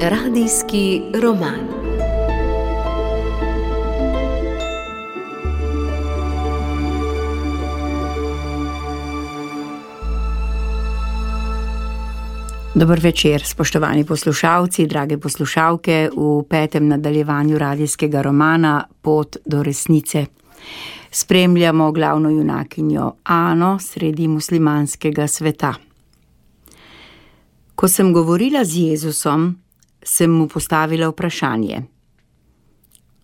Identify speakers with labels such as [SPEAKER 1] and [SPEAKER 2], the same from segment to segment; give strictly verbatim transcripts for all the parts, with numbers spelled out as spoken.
[SPEAKER 1] Radijski roman. Dober večer, spoštovani poslušalci, drage poslušalke, v petem nadaljevanju radijskega romana Pot do resnice. Spremljamo glavno junakinjo Ano sredi muslimanskega sveta. Ko sem govorila z Jezusom, sem mu postavila vprašanje.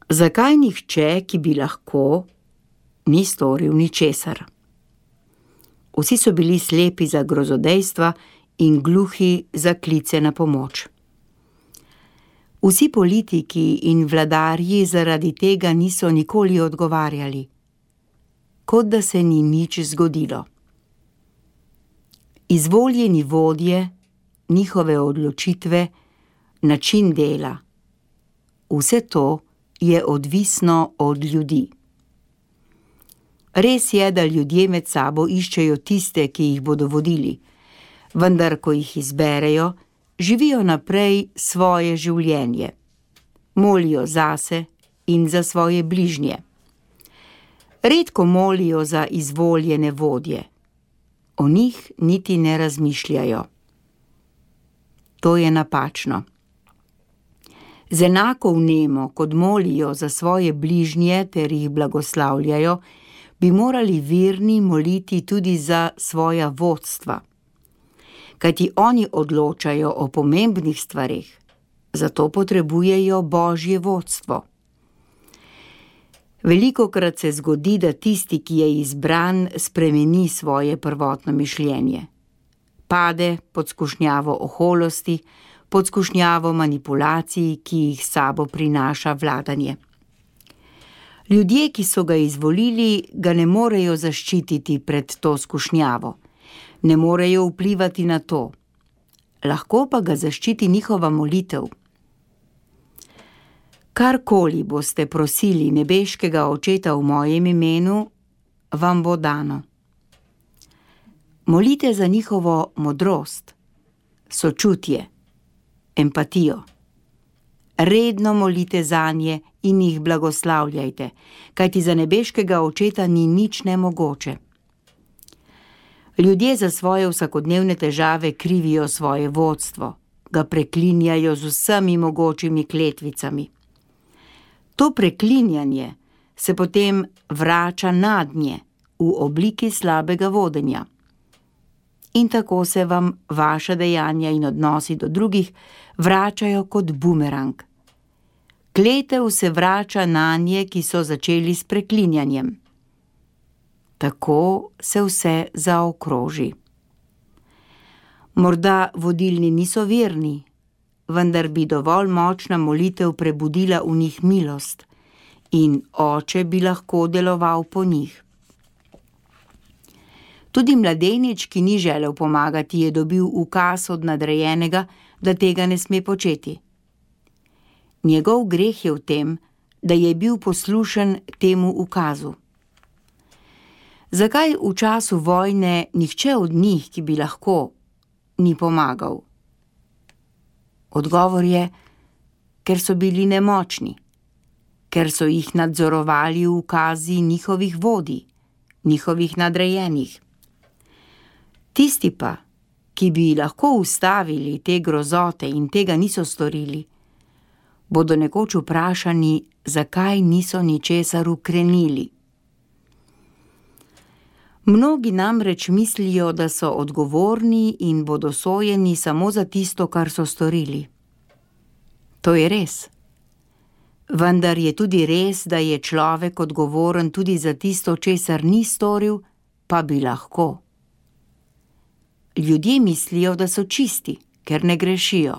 [SPEAKER 1] Zakaj nihče, ki bi lahko, ni storil ničesar? Vsi so bili slepi za grozodejstva in gluhi za klice na pomoč. Vsi politiki in vladarji zaradi tega niso nikoli odgovarjali, kot da se ni nič zgodilo. Izvoljeni vodje, njihove odločitve, način dela, vse to je odvisno od ljudi. Res je, da ljudje med sabo iščejo tiste, ki jih bodo vodili, vendar ko jih izberejo, živijo naprej svoje življenje. Molijo zase in za svoje bližnje. Redko molijo za izvoljene vodje. O njih niti ne razmišljajo. To je napačno. Z enako vnemo, kot molijo za svoje bližnje ter jih blagoslavljajo, bi morali verni moliti tudi za svoja vodstva. Kajti oni odločajo o pomembnih stvareh, zato potrebujejo Božje vodstvo. Velikokrat se zgodi, da tisti, ki je izbran, spremeni svoje prvotno mišljenje. Pade pod skušnjavo oholosti, pod skušnjavo manipulacij, ki jih s sabo prinaša vladanje. Ljudje, ki so ga izvolili, ga ne morejo zaščititi pred to skušnjavo. Ne morejo vplivati na to. Lahko pa ga zaščiti njihova molitev. Karkoli boste prosili nebeškega Očeta v mojem imenu, vam bo dano. Molite za njihovo modrost, sočutje, empatijo. Redno molite zanje in jih blagoslavljajte, kajti za nebeškega Očeta ni nič nemogoče. Ljudje za svoje vsakodnevne težave krivijo svoje vodstvo, ga preklinjajo z vsemi mogočimi kletvicami. To preklinjanje se potem vrača nadnje v obliki slabega vodenja. In tako se vam vaša dejanja in odnosi do drugih vračajo kot bumerang. Kletev se vrača nanje, ki so začeli s preklinjanjem. Tako se vse zaokroži. Morda vodilni niso verni, vendar bi dovolj močna molitev prebudila v njih milost in Oče bi lahko deloval po njih. Tudi mladenič, ki ni želel pomagati, je dobil ukaz od nadrejenega, da tega ne sme početi. Njegov greh je v tem, da je bil poslušen temu ukazu. Zakaj v času vojne nihče od njih, ki bi lahko, ni pomagal? Odgovor je, ker so bili nemočni, ker so jih nadzorovali ukazi njihovih vodij, njihovih nadrejenih. Tisti pa, ki bi lahko ustavili te grozote in tega niso storili, bodo nekoč vprašani, zakaj niso ničesar ukrenili. Mnogi namreč mislijo, da so odgovorni in bodo sojeni samo za tisto, kar so storili. To je res. Vendar je tudi res, da je človek odgovoren tudi za tisto, česar ni storil, pa bi lahko. Ljudje mislijo, da so čisti, ker ne grešijo.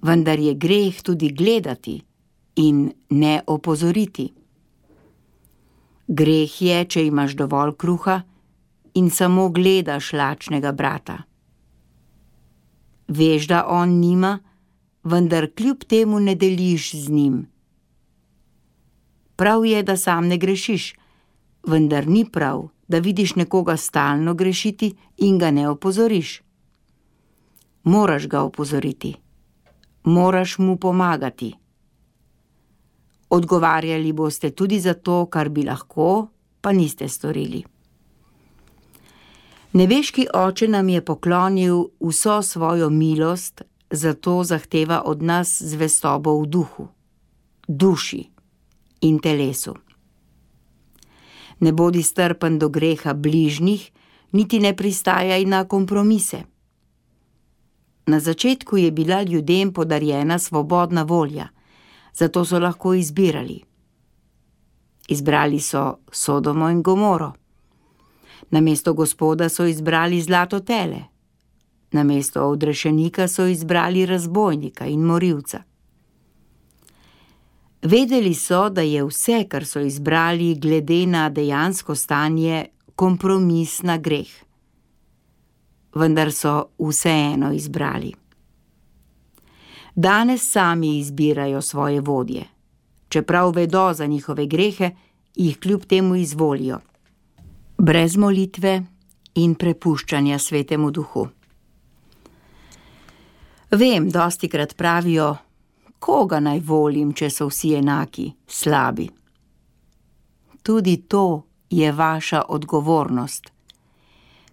[SPEAKER 1] Vendar je greh tudi gledati in ne opozoriti. Greh je, če imaš dovolj kruha in samo gledaš lačnega brata. Veš, da on nima, vendar kljub temu ne deliš z njim. Prav je, da sam ne grešiš, vendar ni prav, da vidiš nekoga stalno grešiti in ga ne opozoriš. Moraš ga opozoriti, Moraš mu pomagati. Odgovarjali boste tudi za to, kar bi lahko, pa niste storili. Nebeški Oče nam je poklonil vso svojo milost, zato zahteva od nas zvestobo v duhu, duši in telesu. Ne bodi strpen do greha bližnjih, niti ne pristajaj na kompromise. Na začetku je bila ljudem podarjena svobodna volja, zato so lahko izbirali. Izbrali so Sodomo in Gomoro. Namesto Gospoda so izbrali zlato tele. Namesto odrešenika so izbrali razbojnika in morilca. Vedeli so, da je vse, kar so izbrali glede na dejansko stanje, kompromis na greh. Vendar so vseeno izbrali. Danes sami izbirajo svoje vodje. Čeprav vedo za njihove grehe, jih kljub temu izvolijo. Brez molitve in prepuščanja Svetemu Duhu. Vem, dostikrat pravijo, koga naj volim, če so vsi enaki, slabi. Tudi to je vaša odgovornost.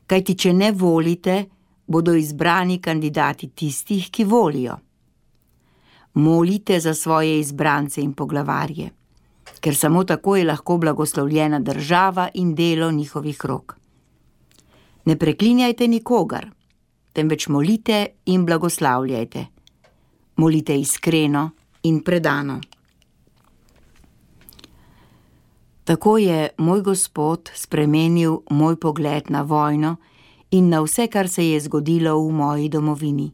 [SPEAKER 1] Kajti če ne volite, bodo izbrani kandidati tistih, ki volijo. Molite za svoje izbrance in poglavarje, ker samo tako je lahko blagoslovljena država in delo njihovih rok. Ne preklinjajte nikogar, temveč molite in blagoslavljajte. Molite iskreno in predano. Tako je moj Gospod spremenil moj pogled na vojno in na vse, kar se je zgodilo v moji domovini.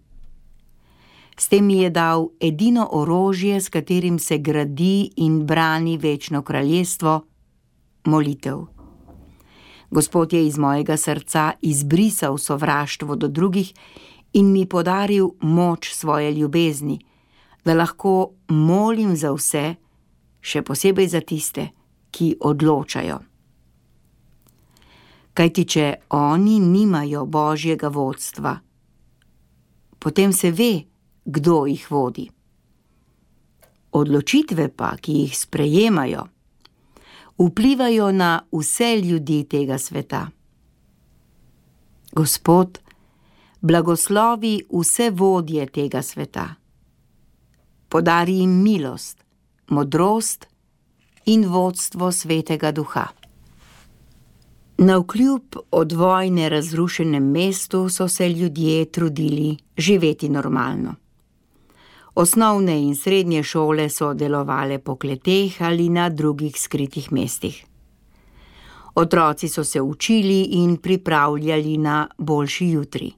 [SPEAKER 1] S tem mi je dal edino orožje, s katerim se gradi in brani večno kraljestvo, molitev. Gospod je iz mojega srca izbrisal sovraštvo do drugih in mi podaril moč svoje ljubezni, da lahko molim za vse, še posebej za tiste, ki odločajo. Kajti če oni nimajo Božjega vodstva, potem se ve, kdo jih vodi. Odločitve pa, ki jih sprejemajo, vplivajo na vse ljudi tega sveta. Gospod blagoslovi vse vodje tega sveta. Podari jim milost, modrost in vodstvo Svetega Duha. Navkljub od vojne razrušenem mestu so se ljudje trudili živeti normalno. Osnovne in srednje šole so delovale po kleteh ali na drugih skritih mestih. Otroci so se učili in pripravljali na boljši jutri.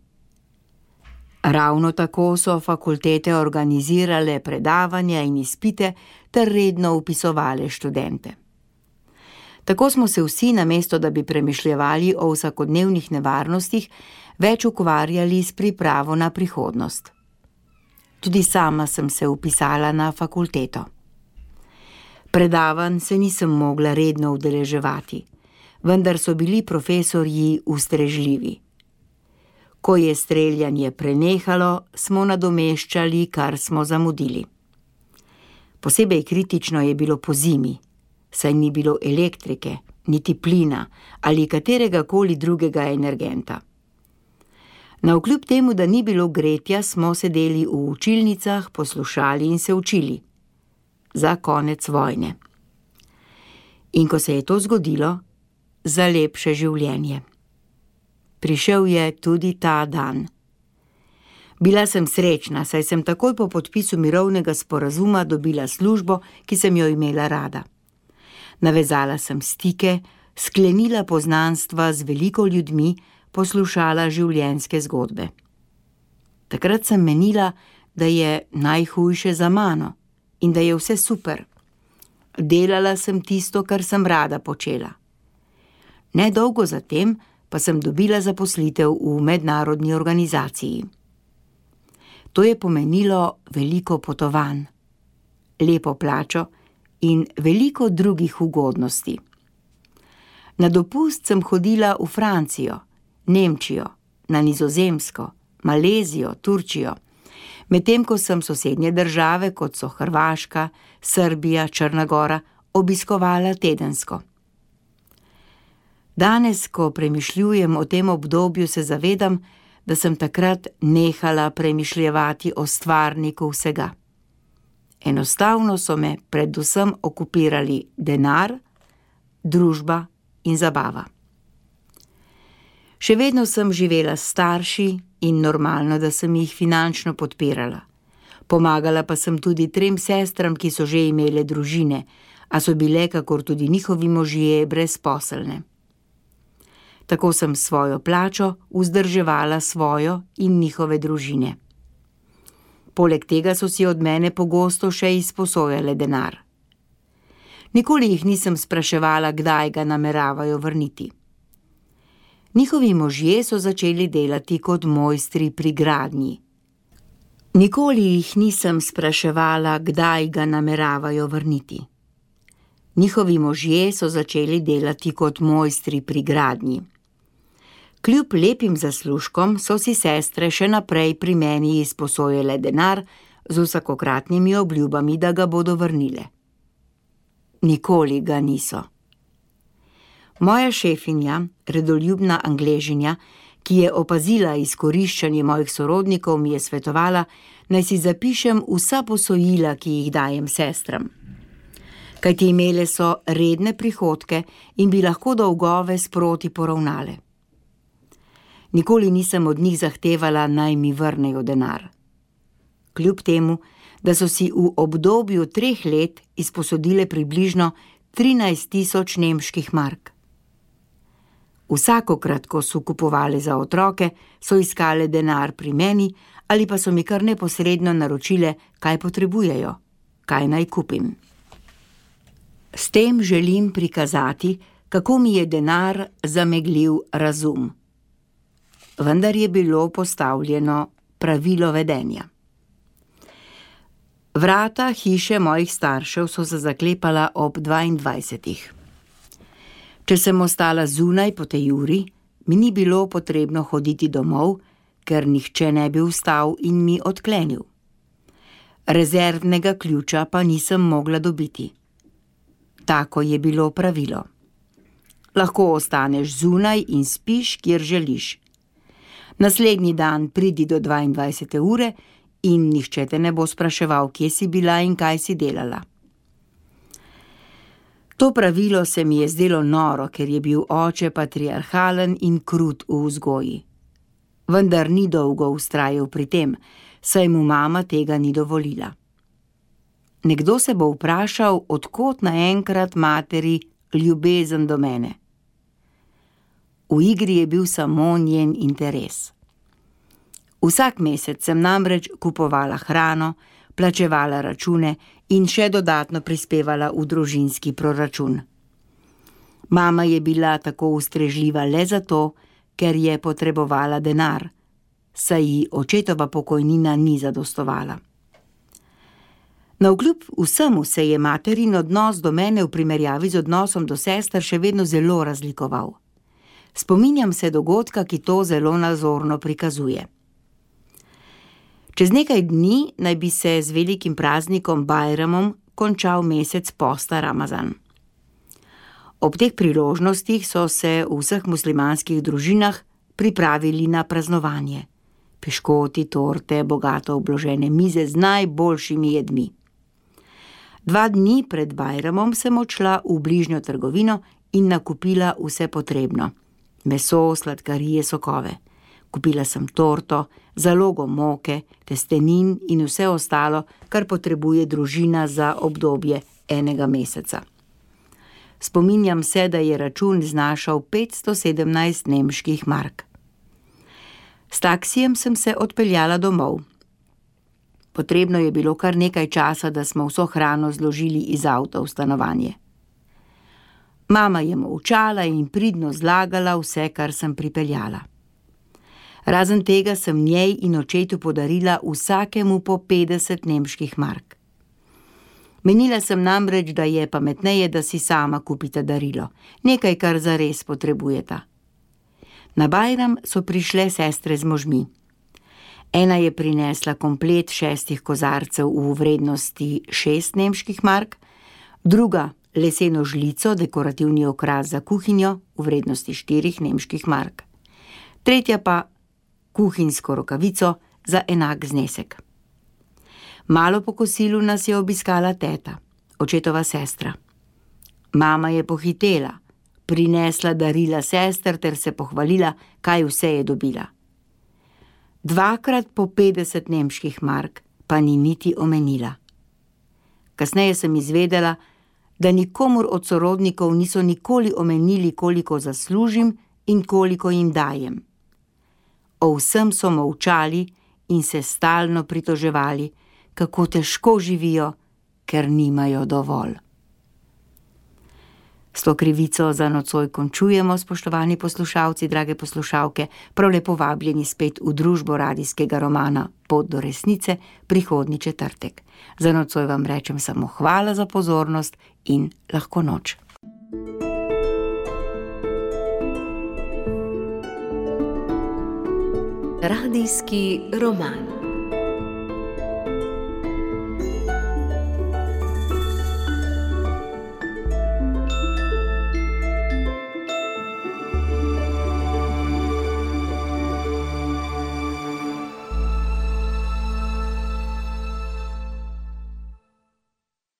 [SPEAKER 1] Ravno tako so fakultete organizirale predavanja in izpite ter redno vpisovale študente. Tako smo se vsi, namesto da bi premišljevali o vsakodnevnih nevarnostih, več ukvarjali s pripravo na prihodnost. Tudi sama sem se vpisala na fakulteto. Predavanj se nisem mogla redno udeleževati, vendar so bili profesorji ustrežljivi. Ko je streljanje prenehalo, smo nadomeščali, kar smo zamudili. Posebej kritično je bilo pozimi, saj ni bilo elektrike, niti plina ali katerega koli drugega energenta. Navkljub temu, da ni bilo gretja, smo sedeli v učilnicah, poslušali in se učili. Za konec vojne. In ko se je to zgodilo, za lepše življenje. Prišel je tudi ta dan. Bila sem srečna, saj sem takoj po podpisu mirovnega sporazuma dobila službo, ki sem jo imela rada. Navezala sem stike, sklenila poznanstva z veliko ljudmi, poslušala življenjske zgodbe. Takrat sem menila, da je najhujše za mano in da je vse super. Delala sem tisto, kar sem rada počela. Nedolgo zatem pa sem dobila zaposlitev v mednarodni organizaciji. To je pomenilo veliko potovanj, lepo plačo in veliko drugih ugodnosti. Na dopust sem hodila v Francijo, Nemčijo, na Nizozemsko, Malezijo, Turčijo. medtem ko sem sosednje države, kot so Hrvaška, Srbija, Črna gora, obiskovala tedensko. Danes, ko premišljujem o tem obdobju, se zavedam, da sem takrat nehala premišljevati o stvarniku vsega. Enostavno so me predvsem okupirali denar, družba in zabava. Še vedno sem živela s starši in normalno, da sem jih finančno podpirala. Pomagala pa sem tudi trem sestram, ki so že imele družine, a so bile, kakor tudi njihovi možje, brezposelne. Tako sem svojo plačo vzdrževala svojo in njihove družine. Poleg tega so si od mene pogosto še izposojale denar. Nikoli jih nisem spraševala, kdaj ga nameravajo vrniti. Njihovi možje so začeli delati kot mojstri pri gradnji. Nikoli jih nisem spraševala, kdaj ga nameravajo vrniti. Njihovi možje so začeli delati kot mojstri pri gradnji. Kljub lepim zaslužkom so si sestre še naprej pri meni izposojale denar z vsakokratnimi obljubami, da ga bodo vrnile. Nikoli ga niso. Moja šefinja, redoljubna Angležinja, ki je opazila izkoriščanje mojih sorodnikov, mi je svetovala, naj si zapišem vsa posojila, ki jih dajem sestram. Kajti imele so redne prihodke in bi lahko dolgove sproti poravnale. Nikoli nisem od njih zahtevala, naj mi vrnejo denar. Kljub temu, da so si v obdobju treh let izposodile približno trinajst tisoč nemških mark. Vsakokrat, ko so kupovali za otroke, so iskale denar pri meni ali pa so mi kar neposredno naročile, kaj potrebujejo, kaj naj kupim. S tem želim prikazati, kako mi je denar zameglil razum. Vendar je bilo postavljeno pravilo vedenja. Vrata hiše mojih staršev so se zaklepala ob dvaindvajsetih. Če sem ostala zunaj po tej uri, mi ni bilo potrebno hoditi domov, ker nihče ne bi vstal in mi odklenil. Rezervnega ključa pa nisem mogla dobiti. Tako je bilo pravilo. Lahko ostaneš zunaj in spiš, kjer želiš. Naslednji dan pridi do dvaindvajsete ure in nihče te ne bo spraševal, kje si bila in kaj si delala. To pravilo se mi je zdelo noro, ker je bil oče patriarhalen in krut v vzgoji. Vendar ni dolgo vztrajal pri tem, saj mu mama tega ni dovolila. Nekdo se bo vprašal, od kod naenkrat materi ljubezen do mene. V igri je bil samo njen interes. Vsak mesec sem namreč kupovala hrano, plačevala račune in še dodatno prispevala v družinski proračun. Mama je bila tako ustrežljiva le zato, ker je potrebovala denar, saj ji očetova pokojnina ni zadostovala. Navkljub vsemu se je materin odnos do mene v primerjavi z odnosom do sester še vedno zelo razlikoval. Spominjam se dogodka, ki to zelo nazorno prikazuje. Čez nekaj dni naj bi se z velikim praznikom Bajramom končal mesec posta Ramazan. Ob teh priložnostih so se v vseh muslimanskih družinah pripravili na praznovanje. Piškoti, torte, bogato obložene mize z najboljšimi jedmi. Dva dni pred Bajramom sem odšla v bližnjo trgovino in nakupila vse potrebno. Meso, sladkarije, sokove. Kupila sem torto, zalogo moke, testenin in vse ostalo, kar potrebuje družina za obdobje enega meseca. Spominjam se, da je račun znašal petsto sedemnajst nemških mark. S taksijem sem se odpeljala domov. Potrebno je bilo kar nekaj časa, da smo vso hrano zložili iz avta v stanovanje. Mama je molčala in pridno zlagala vse, kar sem pripeljala. Razen tega sem njej in očetu podarila vsakemu po petdeset nemških mark. Menila sem namreč, da je pametneje, da si sama kupita darilo, nekaj, kar zares potrebujeta. Na Bajram so prišle sestre z možmi. Ena je prinesla komplet šestih kozarcev v vrednosti šest nemških mark, druga leseno žlico, dekorativni okras za kuhinjo v vrednosti štirih nemških mark, tretja pa kuhinjsko rokavico za enak znesek. Malo po kosilu nas je obiskala teta, očetova sestra. Mama je pohitela, prinesla darila sester ter se pohvalila, kaj vse je dobila. Dvakrat po petdeset nemških mark pa ni niti omenila. Kasneje sem izvedela, da nikomur od sorodnikov niso nikoli omenili, koliko zaslužim in koliko jim dajem. O vsem so molčali in se stalno pritoževali, kako težko živijo, ker nimajo dovolj. S to krivico za nocoj končujemo, spoštovani poslušalci, drage poslušalke, prav lepo vabljeni spet v družbo radijskega romana Pot do resnice prihodnji četrtek. Za nocoj vam rečem samo hvala za pozornost in lahko noč.
[SPEAKER 2] Radijski roman.